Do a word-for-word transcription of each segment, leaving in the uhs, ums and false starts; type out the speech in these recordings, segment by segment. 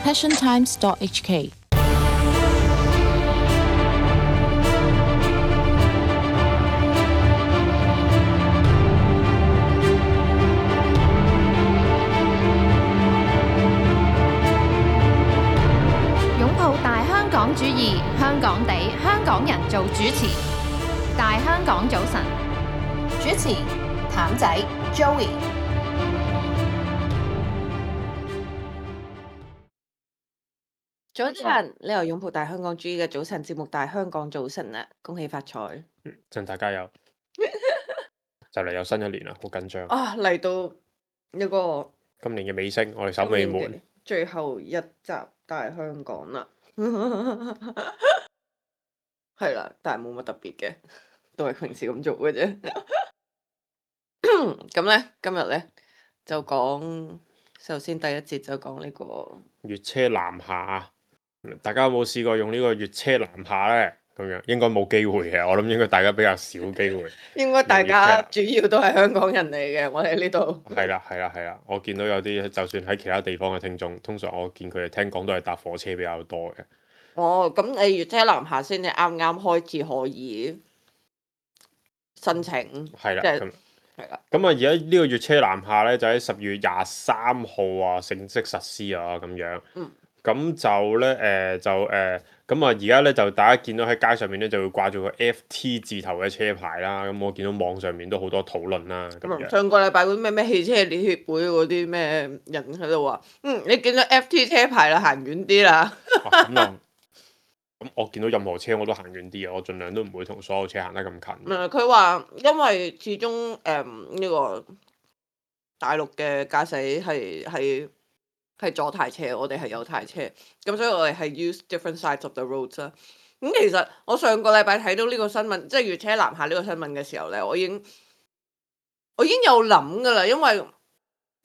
passion times dot h k。擁抱大香港主義，香港地，香港人做主持。大香港早晨，主持譚仔 Joey。早晨，你又擁抱大香港主義嘅早晨節目《大香港早晨》啦，恭喜發財！嗯，趁大家有就嚟有新一年啦，好緊張啊！嚟到一個今年嘅尾聲，我哋守尾門最後一集大香港啦，係啦，但係冇乜特別嘅，都係平時咁做嘅啫。咁咧，今日咧就講，首先第一節就講呢個粵車南下。大家有冇試過用呢個粵車南下呢？咁樣應該冇機會嘅，我諗應該大家比較少機會。應該大家主要都係香港人嚟嘅，我哋呢度。係啦係啦係啦，我見到有啲就算喺其他地方嘅聽眾，通常我見佢哋聽講都係搭火車比較多嘅。哦，咁你粵車南下先至啱啱開始可以申請。係啦，咁係啦。咁啊，而家呢個粵車南下呢，就喺十月廿三號啊正式實施啊咁樣。嗯。咁就咧誒、呃、就誒咁啊！而家咧就大家見到喺街上面咧就會掛住個 F T 字頭嘅車牌啦。咁我見到網上面都好多討論啦。咁樣上個禮拜嗰啲咩咩汽車聯協會嗰啲咩人喺度話，嗯，你見到 F T 車牌啦，行遠啲啦。咁又咁，我見到任何車我都行遠啲啊！我盡量都唔會同所有車行得咁近。唔係佢話，因為始終誒呢個大陸嘅駕駛係係。係左軚車，我哋係右軚車，咁所以我哋係 use different sides of the roads 啦。咁其實我上個禮拜睇到呢個新聞，即係粵車南下呢個新聞嘅時候咧，我已經我已經有諗噶啦，因為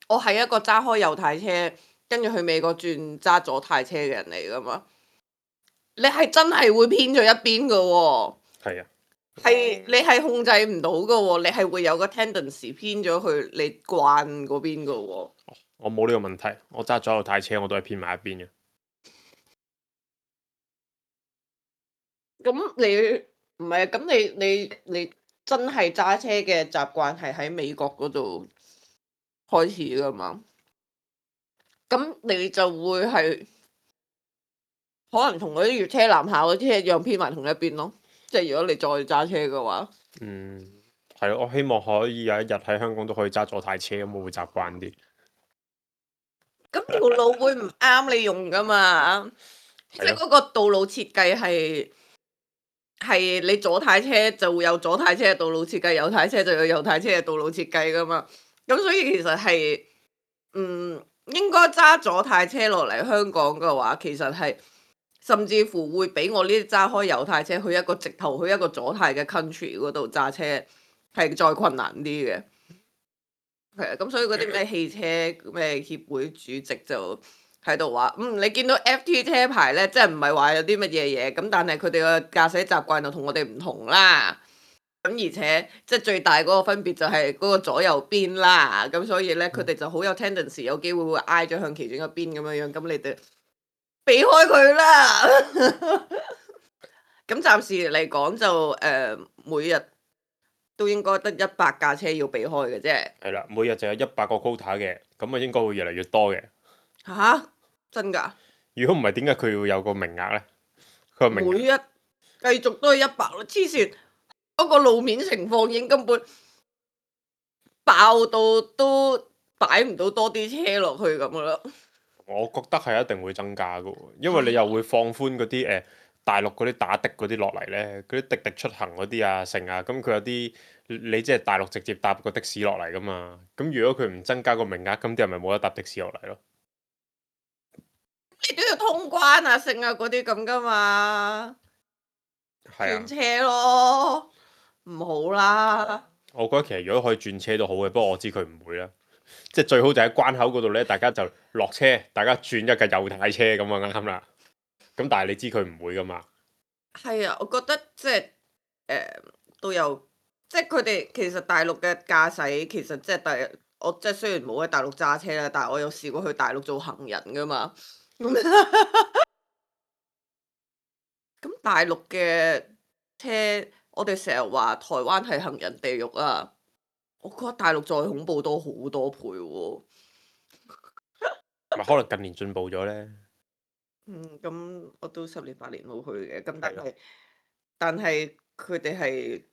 我係一個揸開右軚車，跟住去美國轉揸左軚車嘅人嚟噶嘛。你係真係會偏咗一邊噶喎。係啊。係你係控制唔到噶喎，你係會有個 tendency 偏咗去你慣嗰邊噶喎。我冇呢個問題，我揸左右軚車我都係偏埋一邊嘅。咁你唔係啊？咁你你你真係揸車嘅習慣係喺美國嗰度開始噶嘛？咁你就會係可能同嗰啲粵車南下嗰啲一樣偏埋同一邊咯。即係如果你再揸車嘅話，嗯，係咯，我希望可以有一日喺香港都可以揸左軚車，咁我會習慣啲。咁條路會唔啱你用噶嘛？即係嗰個道路設計係係你左軚車就會有左軚車嘅道路設計，右軚車就有右軚車嘅道路設計噶嘛。咁所以其實係嗯應該揸左軚車落嚟香港嘅話，其實係甚至乎會比我呢啲揸開右軚車去一個直頭去一個左軚嘅 country 嗰度揸車係再困難啲嘅。係啊，咁所以嗰啲咩汽車咩協會主席就喺度話，嗯，你見到 F T 車牌咧，即係唔係話有啲乜嘢嘢，咁但係佢哋嘅駕駛習慣就同我哋唔同啦。咁而且即係最大嗰個分別就係嗰個左右邊啦。咁所以咧，佢哋就好有 tendency 有機會會挨咗向其中一邊咁樣樣，咁你哋避開佢啦。咁暫時嚟講就誒、呃、每日都應該得一百架車要避開嘅啫。係啦，每日就有一百個 quota 嘅，咁啊應該會越嚟越多嘅。吓、啊？真㗎？如果唔係，點解佢要有個名額呢？佢個名額每日繼續都係一百咯，黐線！嗰個路面情況已經根本爆到都擺唔到多啲車落去咁噶啦。我覺得係一定會增加嘅，因為你又會放寬嗰啲誒大陸嗰啲打的嗰啲落嚟呢，嗰啲滴滴出行嗰啲啊成啊，咁佢有啲你即係大陸直接搭個的士落嚟噶嘛，咁如果佢唔增加個名額，咁啲人咪冇得搭的士落嚟咯。你都要通關啊、剩啊嗰啲咁噶嘛，轉車咯，唔好啦。我覺得其實如果可以轉車都好嘅，不過我知佢唔會啦。即係最好就喺關口嗰度呢，大家就落車，大家轉一架右軚車咁啊啱啦。咁但係你知佢唔會噶嘛？係啊，我覺得即係誒、呃、都有，即係佢哋其實大陸嘅駕駛其實即係第我即係雖然冇喺大陸揸車啦，但係我有試過去大陸做行人噶嘛。咁大陸嘅車，我哋成日話台灣係行人地獄啊，我覺得大陸再恐怖多好多倍喎。咪可能近年進步咗咧。嗯，咁我都十年八年冇去嘅，咁但係咯係但係佢哋係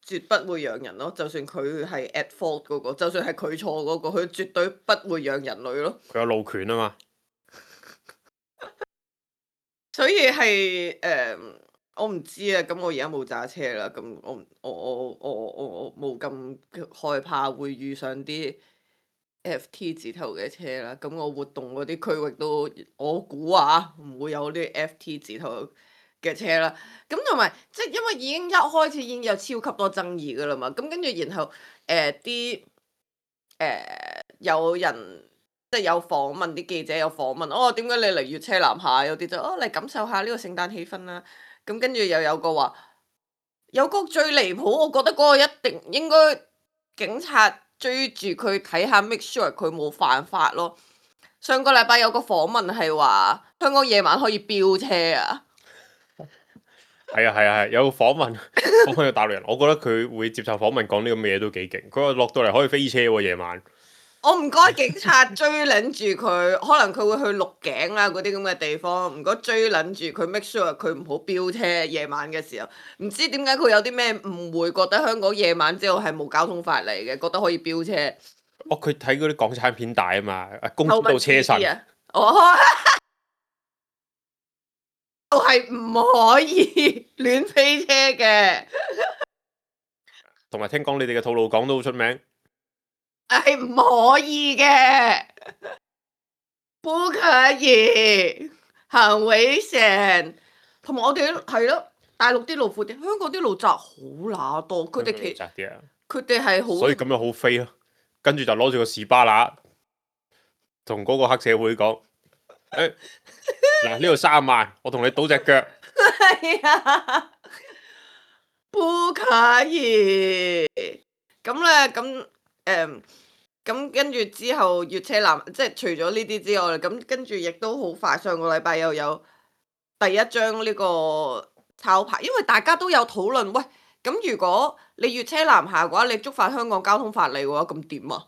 絕不會讓人咯，就算佢係 at fault 嗰個，就算係佢錯嗰個，佢絕對不會讓人類咯。佢有路權啊嘛。所以係誒、呃我唔知啊。咁我而家冇揸車啦，咁我唔我我我我我冇咁害怕會遇上啲 F T 字頭嘅車啦。咁我活動嗰啲區域都我估啊，唔會有啲 F T 字頭嘅車啦。咁同埋即係因為已經一開始已經有超級多爭議噶啦嘛。咁跟住然後誒啲誒有人。即係有訪問啲記者有訪問，哦點解你嚟粵車南下？有啲就哦嚟感受下呢個聖誕氣氛啦。咁跟住又有個話，有個最離譜，我覺得嗰個一定應該警察追住佢睇下 make sure 佢冇犯法咯。上個禮拜有個訪問係話香港夜晚可以飆車啊。係啊係啊係，有個訪問訪問個大陸人，我覺得佢會接受訪問講呢咁嘅嘢都幾勁。佢話落到嚟可以飛車喎夜晚。我唔該警察追撚住佢，可能佢會去鹿頸啊嗰啲咁嘅地方，唔該追撚住佢 make sure 佢唔好飆車夜晚嘅時候。唔知點解佢有啲咩誤會，覺得香港夜晚之後係冇交通法例嘅，覺得可以飆車。哦，佢睇嗰啲港產片大啊嘛，公主道車神。啊！哦，就係唔可以亂飛車嘅。同埋聽講你哋嘅吐露港都好出名。係唔可以嘅，不可以，很危險。同埋我哋係咯，大陸啲路闊啲，香港啲路窄好乸多。佢哋其窄啲啊，佢哋係好，所以咁樣好飛咯。跟住就攞住個士巴拿，同嗰個黑社會講：誒嗱，呢度三萬，我同你賭隻腳。係啊，不可以。咁咧，咁。誒咁跟住之後，粵車南即係除咗呢啲之外，咁跟住亦都好快。上個禮拜又有第一張呢個抄牌，因為大家都有討論。喂，咁如果你粵車南下嘅話，你觸犯香港交通法例嘅話，咁點啊？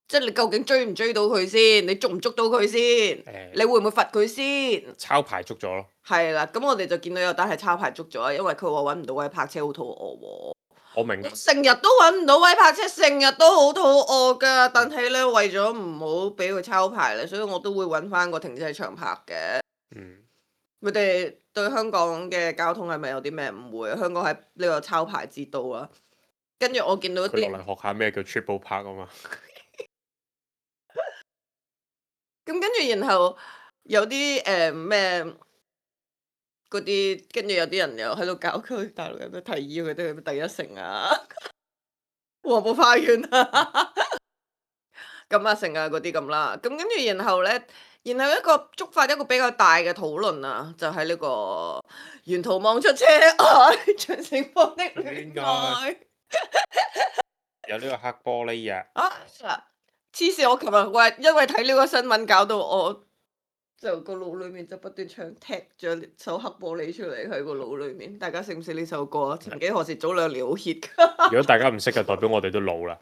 即係你究竟追唔追到佢先？你捉唔捉到佢先？欸、你會唔會罰佢先？抄牌捉咗咯。係啦，咁我哋就見到有單係抄牌捉咗，因為佢話揾唔到位泊車，好肚餓喎。我明，成日都揾唔到位泊車，成日都好肚餓噶。但係咧，為咗唔好俾佢抄牌咧，所以我都會揾翻個停車場泊嘅。嗯，佢哋對香港嘅交通係咪有啲咩誤會？香港係呢個抄牌之都啊。跟住我見到啲佢落嚟學下咩叫 triple park 啊嘛。咁跟住然後有啲誒咩？呃嗰啲跟住有啲人又喺度搞佢，大陸人都提議佢哋去第一城啊、黃埔花園啊、金亞城啊嗰啲咁啦。咁跟住然後咧，然後一個觸發一個比較大嘅討論啊，就係、是、呢個沿途望出車外，長城方的戀愛。有呢個黑玻璃啊！啊！黐線！我琴日喂，因為睇呢個新聞搞到我。就個腦裏面就不斷唱踢咗首黑玻璃出嚟喺個腦裏面，大家識唔識呢首歌啊？曾幾何時早兩年好 hit 㗎。如果大家唔識嘅，代表我哋都老啦。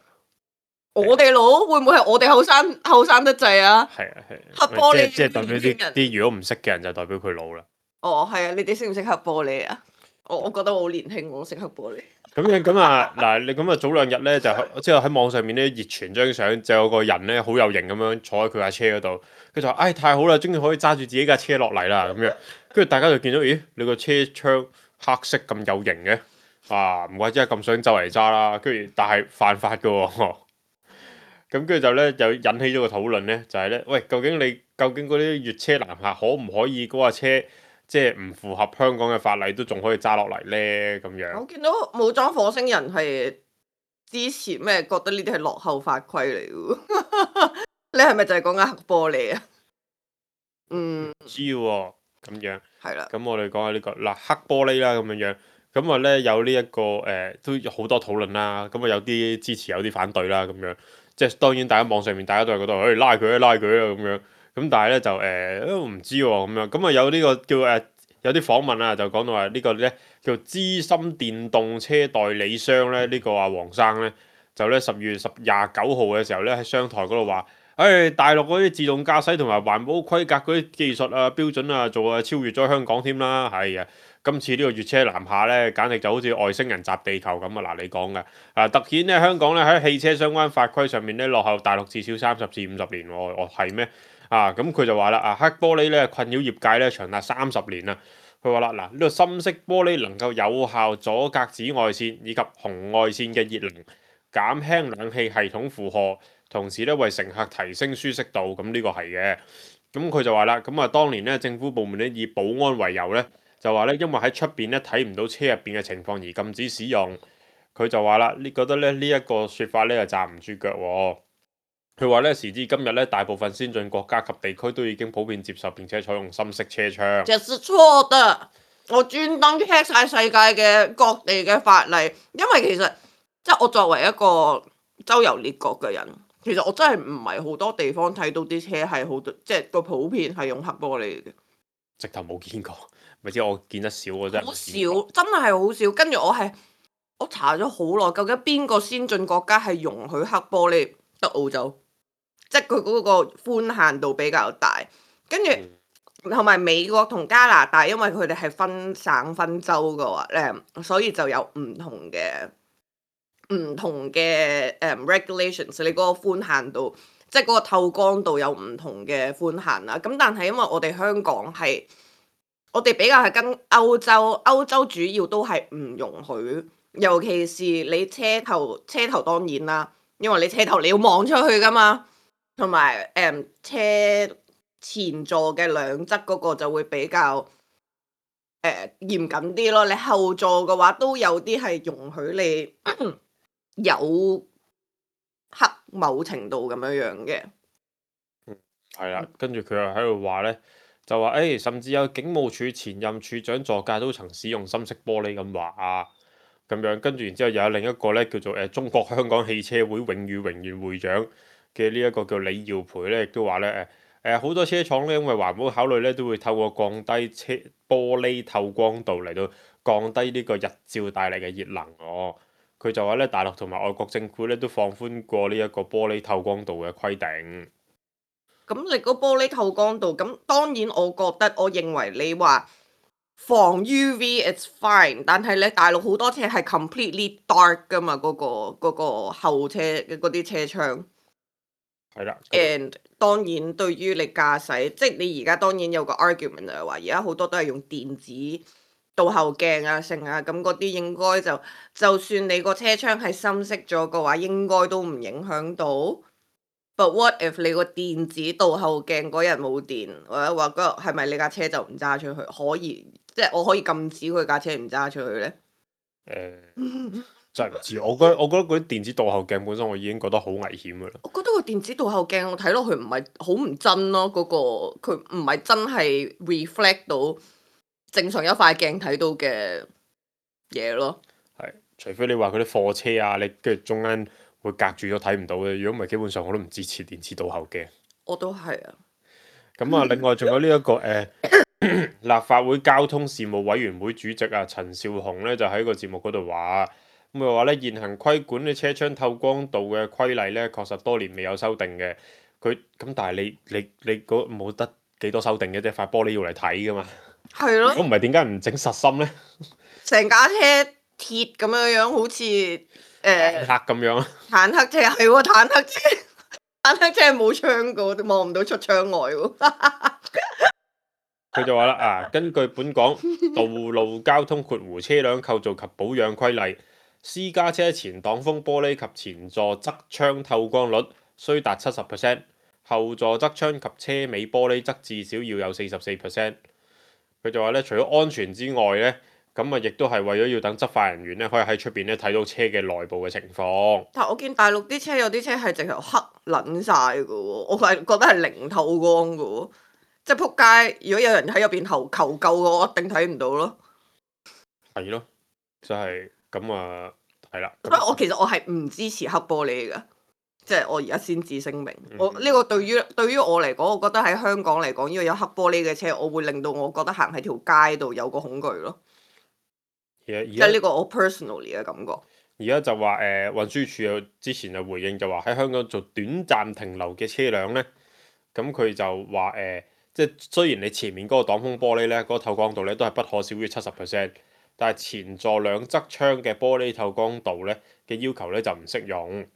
我哋老會唔會係我哋後生後生得滯啊？係啊係。黑玻璃即係代表啲啲如果唔識嘅人就代表佢老啦。哦，係啊！你哋識唔識黑玻璃啊？我我覺得我好年輕，我識黑玻璃。咁樣咁啊嗱，你咁啊早兩日咧就即係喺網上面咧熱傳張相，就有個人咧好有型咁樣坐喺佢架車嗰度，佢就話：唉、哎、太好啦，終於可以揸住自己架車落嚟啦咁樣。跟住大家就見到，咦你個車窗黑色咁有型嘅，啊唔怪之係咁想周圍揸啦。跟住但係犯法㗎喎。咁跟住就咧就引起咗個討論咧，就係、是、咧，喂究竟你究竟嗰啲粵車南下可唔可以嗰架車？即係唔符合香港嘅法例都仲可以揸落嚟咧咁樣。我見到武裝火星人係支持咩？覺得呢啲係落後法規嚟嘅。你係咪就係講緊黑玻璃啊？嗯，唔知喎咁樣。係啦。咁我哋講下呢個嗱黑玻璃啦咁樣樣。咁啊咧有呢、這、一個誒、呃、都有好多討論啦。咁啊有啲支持有啲反對啦咁樣。即係當然大家網上面大家都係覺得誒拉佢啊拉佢啊咁樣。咁但係咧就誒都唔知喎咁樣，咁啊有呢個叫誒有啲訪問啊，就講到話呢個咧叫資深電動車代理商咧，呢個啊黃生咧就咧十月十廿九號嘅時候咧喺商台嗰度話，誒大陸嗰啲自動駕駛同埋環保規格嗰啲技術啊標準啊，做啊超越咗香港添啦，係啊！今次呢個粵車南下咧，簡直就好似外星人襲地球咁啊！嗱，你講嘅啊，突顯咧香港咧喺汽車相關法規上面咧落後大陸至少三十至五十年喎，哦係咩？啊，咁佢就話啦，啊黑玻璃咧困擾業界咧長達三十年啦。佢話啦，嗱呢個深色玻璃能夠有效阻隔紫外線以及紅外線嘅熱能，減輕冷氣系統負荷，同時咧為乘客提升舒適度。咁呢個係嘅。咁佢就話啦，咁啊當年咧政府部門咧以保安為由咧。就話咧，因為喺出邊咧睇唔到車入邊嘅情況而禁止使用。佢就話啦，你覺得咧呢一個説法咧就站唔住腳喎。佢話咧時至今日咧，大部分先進國家及地區都已經普遍接受並且採用深色車窗。這是錯的，我專登 check 晒世界嘅各地嘅法例，因為其實即係我作為一個周遊列國嘅人，其實我真係唔係好多地方睇到啲車係好多，即係個普遍係用黑玻璃嘅。直頭冇見過。咪知我見得少，我真係好少，真係好少。跟住我係我查咗好耐，究竟邊個先進國家係容許黑玻璃？得澳洲，即係佢嗰個寬限度比較大。跟住同埋美國同加拿大，因為佢哋係分省分州嘅話咧，所以就有唔同嘅唔同嘅誒、um, regulations。你嗰個寬限度，即係嗰個透光度有唔同嘅寬限啦。咁但係因為我哋香港係。我哋比較係跟歐洲，歐洲主要都係唔容許，尤其是你車頭，車頭當然啦，因為你車頭你要望出去噶嘛，同埋誒車前座嘅兩側嗰個就會比較誒、呃、嚴謹啲咯。你後座嘅話都有啲係容許你有黑某程度咁樣樣嘅。嗯，係啦，跟住佢又喺度話咧。就話誒、欸，甚至有警務處前任處長座駕都曾使用深色玻璃咁話啊，咁樣跟住然之後又有另一個咧叫做誒、呃、中國香港汽車會永譽榮譽會長嘅呢一個叫李耀培咧，亦都話咧誒誒好多車廠咧因為環保考慮咧都會透過降低車玻璃透光度嚟到降低呢個日照帶嚟嘅熱能哦。佢就話咧大陸同埋外國政府咧都放寬過呢一個玻璃透光度嘅規定。咁你個玻璃透光度，咁當然我覺得，我認為你話防 U V it's fine，但係你大陸好多車係 completely dark 噶嘛，嗰、嗰個嗰個後車嘅嗰啲車窗。係啦。And 當然對於你駕駛，即係你而家當然有個 argument 就係話，而家好多都係用電子倒後鏡啊、成啊，咁嗰啲應該就就算你個車窗係深色咗嘅話，應該都唔影響到。But what if 你個電子倒後鏡嗰日冇電，或者話嗰日係咪你架車就唔揸出去？可以，即係我可以禁止佢架車唔揸出去呢？誒、呃，真係唔知。我覺得我覺得嗰啲電子倒後鏡本身我已經覺得好危險噶啦。我覺得個電子倒後鏡我睇落去唔係好唔真咯，嗰、嗰個佢唔係真係 reflect 到正常一塊鏡睇到嘅嘢咯。係，除非你話嗰啲貨車啊，你跟住中間。會隔住咗睇唔到嘅，如果唔係基本上我都唔支持電子倒後鏡。我都係啊。咁啊，另外仲有呢、這、一個誒、呃、立法會交通事務委員會主席啊陳紹雄咧就喺個節目嗰度話，咁佢話咧現行規管啲車窗透光度嘅規例咧確實多年未有修訂嘅。佢咁但係你你你嗰冇得幾多修訂嘅啫，塊玻璃要嚟睇噶嘛。係咯。咁唔係點解唔整實心咧？成架車鐵咁樣樣，好似〜誒、呃，坦克咁樣啊！坦克車係喎，坦克車，坦克車係冇窗噶，望唔到出窗外喎。佢就話啦，啊，根據本港道路交通括弧車輛構造及保養規例，私家車前擋風玻璃及前座側窗透光率須達七十 percent， 後座側窗及車尾玻璃則至少要有四十四 percent。佢就話咧，除咗安全之外咧。咁啊，亦都係為咗要等執法人員咧，可以喺出邊咧睇到車嘅內部嘅情況。但係我見大陸啲車有啲車係直頭黑撚晒嘅喎，我係覺得係零透光嘅喎，即係撲街！如果有人喺入邊求求救嘅，我一定睇唔到咯。係咯，就係咁啊，係啦。所以我其實我係唔支持黑玻璃嘅，即係我而家先至聲明，嗯我呢個對於對於我嚟講，我覺得喺香港嚟講，呢個有黑玻璃嘅車，我會令到我覺得行喺條街度有個恐懼咯。而家而即係呢家個我 personally 嘅感覺。而家就話誒運輸署有之前就回應就話喺香港做短暫停留嘅車輛咧，咁佢就話誒、呃，即係雖然你前面嗰個擋風玻璃咧，嗰、個透光度咧都係不可少於七十 percent，但係前座兩側窗嘅玻璃透光度咧嘅要求咧就唔適用。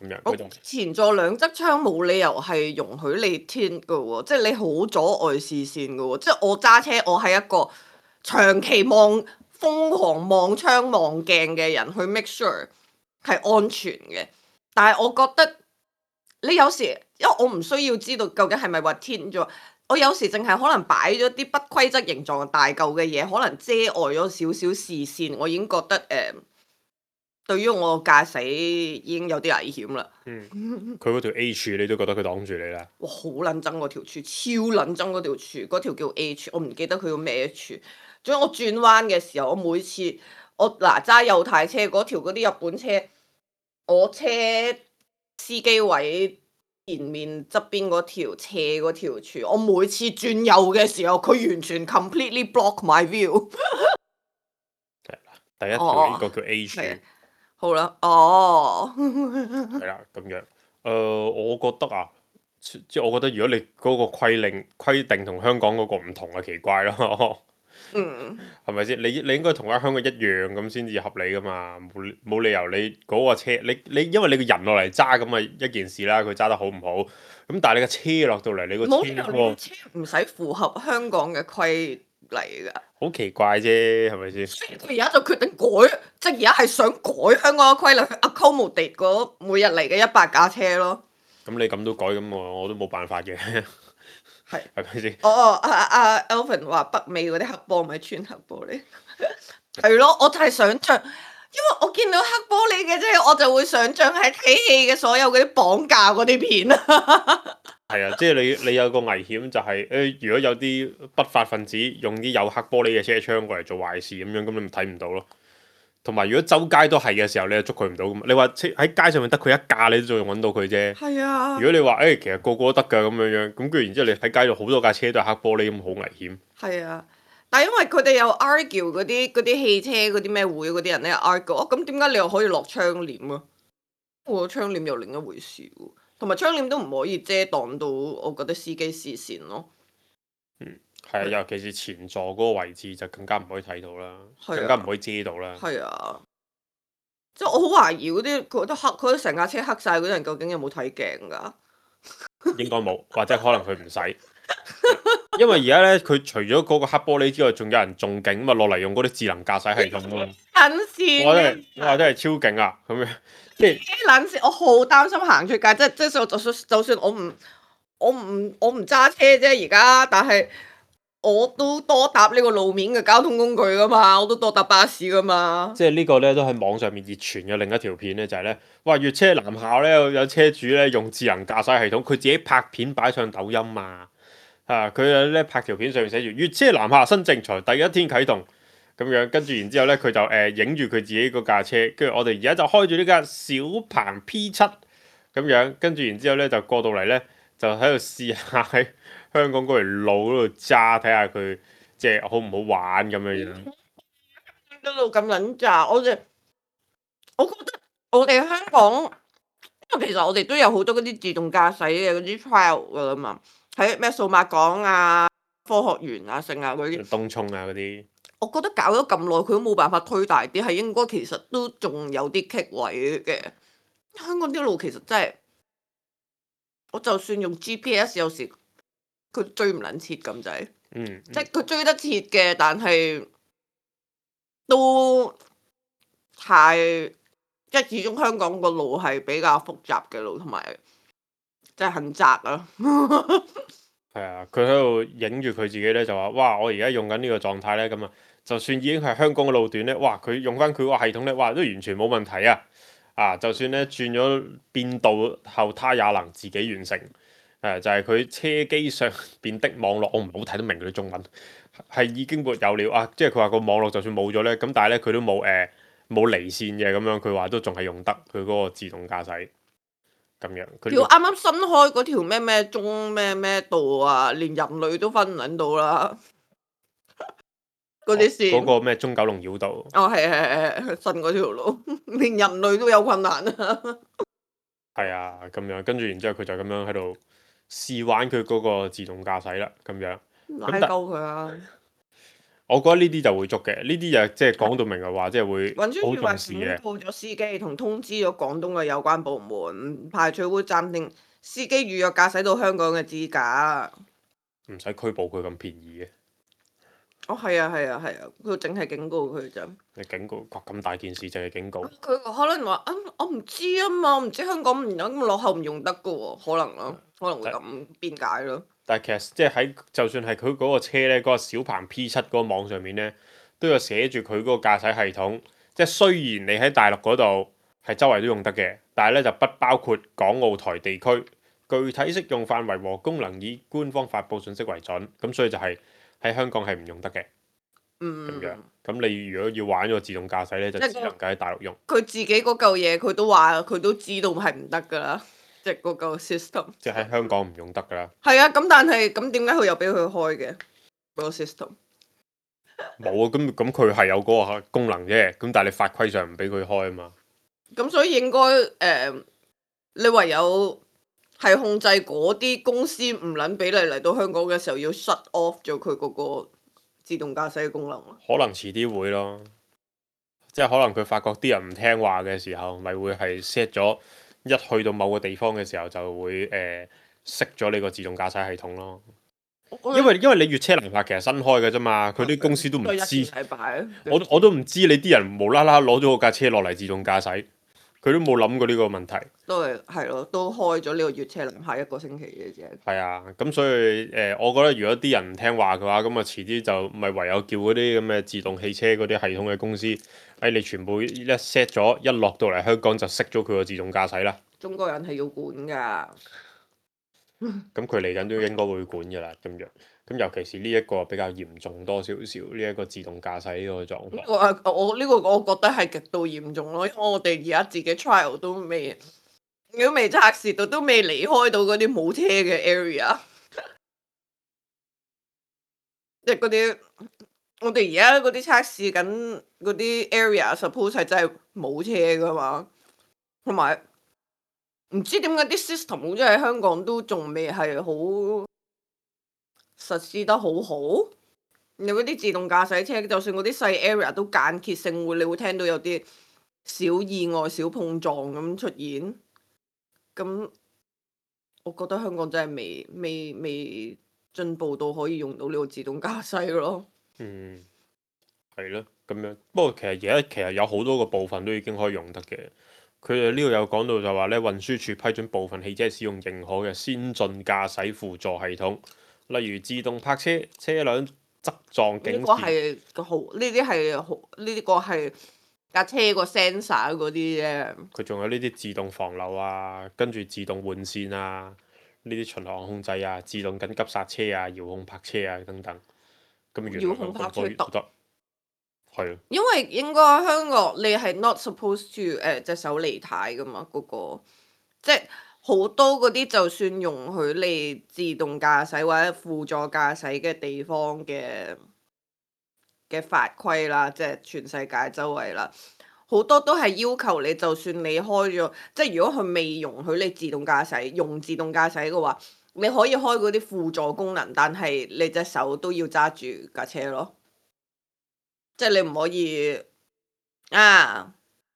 咁樣佢就前座兩側窗冇理由係容許你 tint 嘅喎，即係你好阻礙視線嘅喎。即係我揸車，我係一個長期望瘋狂望窗望鏡嘅人，去 make sure 係安全嘅。但係我覺得你有時，因為我唔需要知道究竟係咪話 tint 咗，我有時淨係可能擺咗啲不規則形狀大嚿嘅嘢，可能遮礙咗少少視線，我已經覺得誒。呃對於我駕駛已經有啲危險啦。嗯，佢嗰條 A 柱你都覺得佢擋住你啦。哇！好撚憎嗰條柱，超撚憎嗰條柱，嗰條叫 A 柱，我唔記得佢叫咩柱。總之我轉彎嘅時候，我每次我嗱揸右軚車嗰條嗰啲日本車，我車司機位前面側邊嗰條斜嗰條柱，我每次轉右嘅時候，佢完全 completely block my view。第一條呢個叫 A 柱。係好啦，哦，係啦，咁樣。誒、呃，我覺得啊，即係我覺得如果你嗰個規令規定同香港嗰個唔同啊，奇怪咯。嗯，係咪先？你你應該同喺香港一樣咁先至合理噶嘛，冇冇理由你嗰個車，你你因為你個人落嚟揸咁啊一件事啦，佢揸得好唔好？咁但係你個車落到嚟，你個冇理由車你車唔使符合香港嘅規例㗎。好奇怪啫，係咪先？佢而家就決定改，即係而家係想改香港嘅規例去 accommodate 嗰每日嚟嘅一百架車咯。咁你咁都改，咁我我都冇辦法嘅。係係咪先？哦哦，阿阿 Alvin 話北美嗰啲黑玻咪穿黑玻璃，係咯，我就係想像，因為我見到黑玻璃嘅啫，我就會想像係睇戲嘅所有嗰啲綁架嗰啲片啊。係啊，即係你你有個危險就係、是、誒、呃，如果有啲不法分子用啲有黑玻璃嘅車窗過嚟做壞事咁樣，咁你咪睇唔到咯。同埋如果周街都係嘅時候，你就捉佢唔到噶嘛。你話喺街上面得佢一架，你都仲揾到佢啫。係啊。如果你話誒、欸，其實個個都得㗎咁樣樣，咁跟住然之後你喺街度好多架車都係黑玻璃，咁好危險。係啊，但係因為佢哋有 argue 嗰啲嗰啲汽車嗰啲咩會嗰啲人咧 argue，哦咁點解你又可以落窗簾啊？我窗簾又另一回事喎，同埋窗簾都唔可以遮擋到我覺得司機視線咯。嗯，係啊，尤其是前座嗰個位置就更加唔可以睇到啦，係啊更加唔可以遮到啦。係啊，即係我好懷疑嗰啲佢覺得黑，佢成架車黑晒嗰啲人究竟有冇睇鏡㗎？應該冇，或者可能佢唔使。因為而家咧，佢除咗嗰個黑玻璃之外，仲有人仲勁咁啊，落嚟用嗰啲智能駕駛系統咯。撚線，我真係，我真係超勁啊！咁樣即係撚線，我好擔心行出街，即係即係就算就算我唔我唔我唔揸車啫，而家，但係我都多搭呢個路面嘅交通工具噶嘛，我都多搭巴士噶嘛。即係呢個咧都喺網上面熱傳嘅另一條片咧，就係咧，哇！粵車南校咧有有車主咧用智能駕駛系統，佢自己拍片擺上抖音啊！啊！佢咧拍條片上面寫住粵車南下新政材第一天啟動咁樣，跟住然之後咧佢就誒影住佢自己嗰架車，跟住我哋而家就開住呢架小鵬 P 七咁樣，跟住然之後咧就過到嚟咧就喺度試下喺香港嗰條路嗰度揸，睇下佢即係好唔好玩咁樣樣。一路咁撚渣，我哋我覺得我哋香港，因為其實我哋都有好多嗰啲自動駕駛嘅嗰啲 trial 噶啦嘛。喺咩數碼港啊、科學園啊、成啊嗰啲，東涌啊嗰啲，我覺得搞咗咁耐，佢都冇辦法推大啲，係應該其實都仲有啲棘位嘅。香港啲路其實真係，我就算用 G P S 有時佢追唔撚切咁滯，嗯，嗯即係佢追得切嘅，但係都太即係始終香港個路係比較複雜嘅路，同埋即係很窄啊。係啊，佢喺度影住佢自己咧，就話：哇！我而家用緊呢個狀態咧，咁啊，就算已經係香港嘅路段咧，哇！佢用翻佢個系統咧，哇，都完全冇問題啊！啊，就算咧轉咗變道後，他也能自己完成。誒、啊，就係、是、佢車機上邊的網絡，我唔好睇得明佢啲中文，係已經沒有了啊！即係佢話個網絡就算冇咗咧，咁但係咧佢都冇誒冇離線嘅咁樣，佢話都仲係用得佢嗰個自動駕駛。咁樣。佢條啱啱新開嗰條咩咩中咩咩道啊，連人類都分唔撚到啦。嗰啲線嗰個咩中九龍繞道，哦係係係新嗰條路，連人類都有困難啊！係啊，咁樣跟住然之後佢就咁樣喺度試玩佢嗰個自動駕駛啦，咁樣。拉鳩佢啊！我覺得呢啲就會捉嘅，呢啲就即係講到明嘅話，即係會運輸好署話警重視嘅。告咗司機，同通知咗廣東嘅有關部門，唔排除會暫定司機預約駕駛到香港嘅資格。唔使拘捕佢咁便宜嘅，哦，係啊，係啊，係啊，佢淨係警告佢咋。你警告咁大件事就係警告，佢可能話啊，我唔知啊嘛，我唔知香港唔有咁落後唔用得噶喎，可能咯，可能會咁辯解咯。但係其實即係喺就算係佢嗰個車咧，嗰、個小鵬 P 七嗰個網上面咧，都有寫住佢嗰個駕駛系統。即係雖然你喺大陸嗰度係周圍都用得嘅，但係咧就不包括港澳台地區。具體適用範圍和功能以官方發布信息為準。咁所以就係喺香港係唔用得嘅。嗯，咁樣，咁你如果要玩個自動駕駛咧，就即係只能夠喺大陸用。佢自己嗰嚿嘢，佢都話佢都知道係唔得噶啦，即係嗰嚿 system。即係喺香港唔用得㗎啦。係啊，咁但係咁點解佢又俾佢開嘅嗰個 system？冇啊，咁咁佢係有嗰個功能啫，咁但係你法規上唔俾佢開啊嘛。咁所以應該誒、呃，你唯有係控制嗰啲公司唔撚俾你嚟到香港嘅時候，要 shut off 咗佢嗰個自動駕駛嘅功能咯。可能遲啲會咯，即係可能佢發覺啲人唔聽話嘅時候，咪會係 set 咗一去到某個地方嘅時候就會誒熄咗你個自動駕駛系統咯。因為因為你粵車南下其實新開嘅啫嘛，佢啲公司都唔都一知，禮拜我都我都唔知你啲人無啦啦攞咗個架車落嚟自動駕駛，佢都冇諗過呢個問題。都係係咯，都開咗呢個粵車南下一個星期嘅啫。係啊，咁所以誒、呃，我覺得如果啲人唔聽話嘅話，咁啊遲啲就咪唯有叫嗰啲咁嘅自動汽車嗰啲系統嘅公司，誒、哎、你全部一 set 咗，一落到嚟香港就熄咗佢個自動駕駛啦。中國人係要管㗎。咁佢嚟緊都應該會管㗎啦，咁樣。咁尤其是呢一個比較嚴重多少少，呢一個自動駕駛呢個狀況。我啊，我呢個我覺得係極度嚴重咯，因為我哋而家自己 trial 都未，都未測試到，都未離開到嗰啲冇車嘅 area，即係嗰啲我哋而家嗰啲測試緊嗰啲 area，suppose 係真係冇車噶嘛，同埋唔知點解啲 system 好似喺香港都仲未係好實施得好好。有嗰啲自動駕駛車，就算嗰啲細 area 都間歇性會，你會聽到有啲小意外、小碰撞咁出現。咁我覺得香港真係未未未進步到可以用到呢個自動駕駛咯。嗯，係咯，咁樣。不過其實而家其實有好多個部分都已經可以用得嘅。佢哋呢度有講到就話咧，運輸署批准部分汽車使用認可嘅先進駕駛輔助系統，例如自動泊車、車輛側撞警示。呢個係個好，呢啲係好，呢啲個係架車個 sensor 嗰啲啫。佢仲有呢啲自動防漏啊，跟住自動換線啊，呢啲巡航控制啊，自動緊急剎車啊，遙控泊車啊等等。咁原來遙控泊車得得，係啊。因為應該香港你係 not supposed to 誒隻手離軚噶嘛，嗰、個即係好多嗰啲就算容許你自動駕駛或者輔助駕駛嘅地方嘅嘅法規啦，即係全世界周圍啦，好多都係要求你，就算你開咗，即係如果佢未容許你自動駕駛用自動駕駛嘅話，你可以開嗰啲輔助功能，但係你隻手都要揸住架車咯。即係你唔可以啊！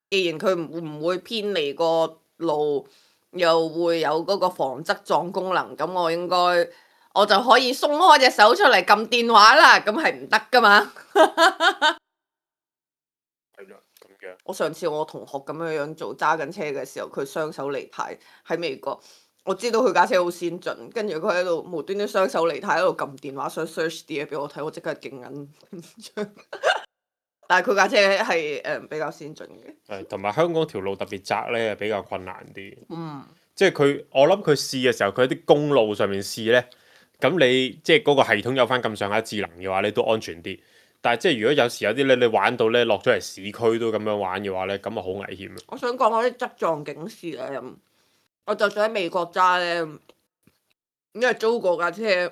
既然佢唔唔會偏離個路，又會有嗰個防側撞功能，咁我應該我就可以鬆開隻手出嚟撳電話啦。咁係唔得噶嘛？係啦，咁樣。我上次我同學咁樣樣做揸緊車嘅時候，佢雙手離軚喺美國。我知道佢架車好先進，跟住佢喺度無端端雙手離軚喺度撳電話，想 search 啲嘢俾我睇，我即刻勁緊張。但係佢架車係誒比較先進嘅。係，同埋香港條路特別窄咧，比較困難啲。嗯。即係佢，我諗佢試嘅時候，佢喺啲公路上面試咧，咁你即係嗰個系統有翻咁上下智能嘅話咧，都安全啲。但係即係如果有時有啲咧，你玩到咧落咗嚟市區都咁樣玩嘅話咧，咁啊好危險啊！我想講嗰啲側撞警示咧，我就算喺美國揸咧，因為租過架車，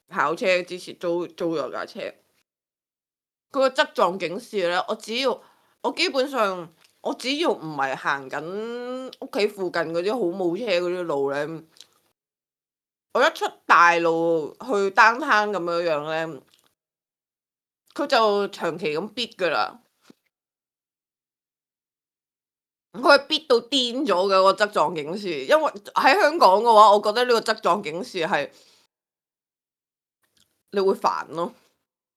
考車之前租租咗架車，佢個側撞警示咧，我只要我基本上我只要唔係行緊屋企附近嗰啲好冇車嗰啲路咧，我一出大路去 downtown 咁樣樣咧，佢就長期咁逼噶啦。佢係逼到癲咗嘅個側撞警示，因為喺香港嘅話，我覺得呢個側撞警示係你會煩咯，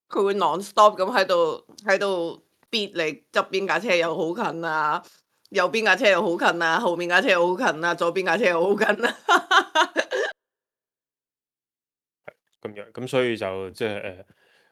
佢會 non-stop 咁喺度喺度逼你側邊架車又好近啊，右邊架車又好近啊，後面架車又好近啊，左邊架車又好近啊。咁樣咁所以就即係誒，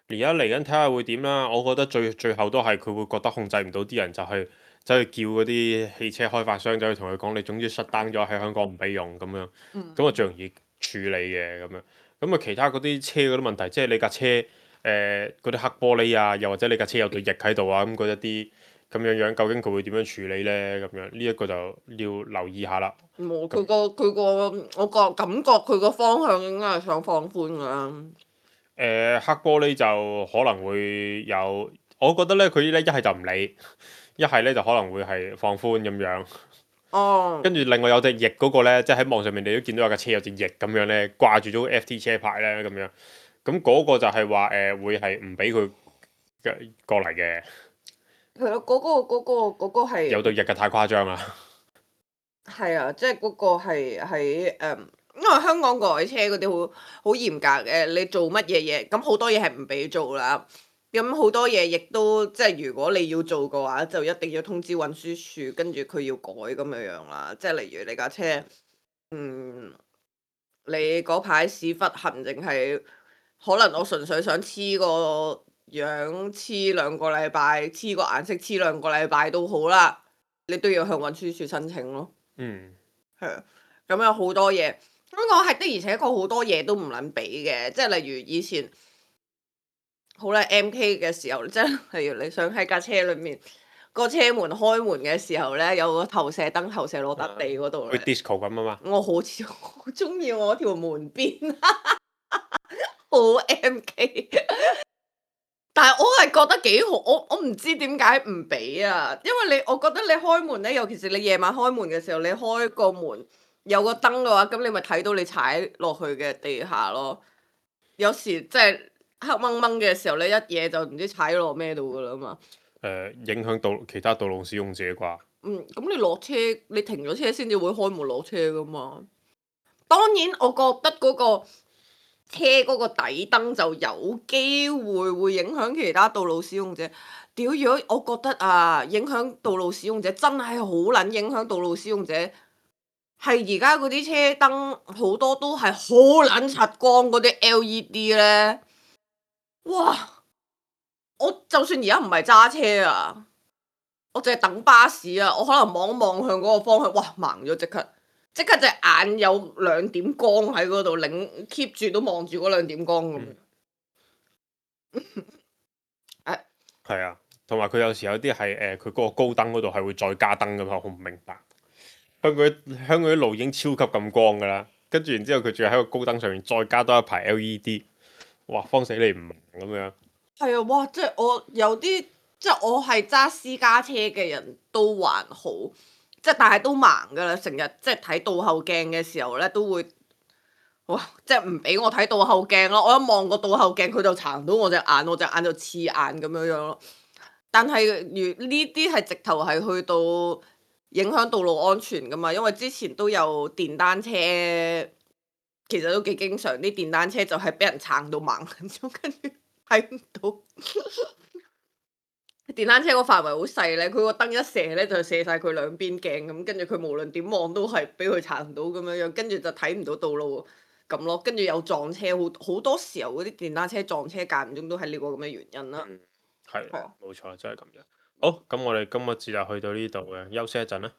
而家嚟緊睇下會點啦。我覺得最最後都係佢會覺得控制唔到啲人，就係走去叫嗰啲汽車開發商走去同佢講，你總之 shut down 咗喺香港唔俾用咁樣，嗯咁啊最容易處理嘅咁樣。咁啊其他嗰啲車嗰啲問題，即係你架車誒嗰啲黑玻璃啊，又或者你架車有對翼喺度啊，咁嗰一啲咁樣樣，究竟佢會點樣處理呢？咁樣呢一個就要留意下啦。冇佢個佢個，我個感覺佢個方向應該係想放寬噶啦。誒、黑玻璃就可能會有，我覺得咧佢咧一係就唔理，一係咧就可能會係放寬咁樣。哦，跟住另外有隻翼嗰個咧，即係喺網上面你都見到有架車有隻翼咁樣咧，掛住咗 F T 車牌咧咁樣。咁嗰個就係話誒會係唔俾佢嘅過嚟嘅。係咯，嗰個嗰個嗰個係有對翼嘅太誇張啦。係啊，即係嗰個係喺誒，因為香港改車嗰啲好好嚴格嘅，你做乜嘢嘢，咁好多嘢係唔俾做啦。咁好多嘢亦都即係如果你要做嘅話，就一定要通知運輸署，跟住佢要改咁樣樣啦。即係例如你架車，嗯，你嗰排屎忽痕，淨係可能我純粹想黐個樣黐兩個禮拜，黐個顏色黐兩個禮拜都好啦，你都要向運輸署申請咯。嗯，係啊，咁有好多嘢，香港係的而且確好多嘢都唔撚俾嘅，即係例如以前好啦 M K 嘅時候，即係例如你想喺架車裏面個車門開門嘅時候咧，有個投射燈投射落笪地嗰度去咧， disco 咁啊嘛。我好似好中意我條門邊，好 M K。但係我係覺得幾好，我我唔知點解唔俾啊，因為你我覺得你開門咧，尤其是你夜晚開門嘅時候，你開個門有個燈嘅話，咁你咪睇到你踩落去嘅地下咯。有時即係黑掹掹嘅時候咧，一嘢就唔知踩落咩度噶啦嘛。誒、影響到其他道路使用者啩。嗯，咁你落車，你停咗車先至會開門落車噶嘛。當然，我覺得嗰個車嗰個底燈就有機會會影響其他道路使用者。屌，如果我覺得啊，影響道路使用者真係好撚影響道路使用者，係而家嗰啲車燈好多都係好撚柒光嗰啲 L E D 咧，哇！我就算而家唔係揸車啊，我淨係等巴士啊，我可能望一望向嗰個方向，哇，盲咗即刻，即刻隻眼有兩點光喺嗰度，擰 keep 住都望住嗰兩點光咁。誒，係啊，同埋佢有時有啲係誒，佢嗰個高燈嗰度係會再加燈噶嘛，我唔明白。香港啲香港啲路已經超級咁光噶啦，跟住然之後佢仲要喺個高燈上面再加多一排 L E D，哇，慌死你唔明咁樣。係啊，哇！即係我有啲，即係我係揸私家車嘅人都還好，即係但係都盲噶啦，成日即係睇倒後鏡嘅時候咧都會，哇！即係唔俾我睇倒後鏡咯，我一望個倒後鏡佢就撐到我隻眼，我隻眼就刺眼咁樣樣咯。但係如呢啲係直頭係去到影響道路安全噶嘛，因為之前都有電單車，其實都幾經常啲電單車就係俾人撐到盲咗，跟住睇唔到。電單車個範圍好細咧，佢個燈一射咧就射晒佢兩邊鏡咁，跟住佢無論點望都係俾佢撐到咁樣樣，跟住就睇唔到道路咁咯。跟住有撞車，好好多時候嗰啲電單車撞車間唔中都係呢個咁嘅原因啦。嗯，係係啊冇錯，真係咁樣。好，咁我哋今日節就去到呢度嘅，休息一陣啦。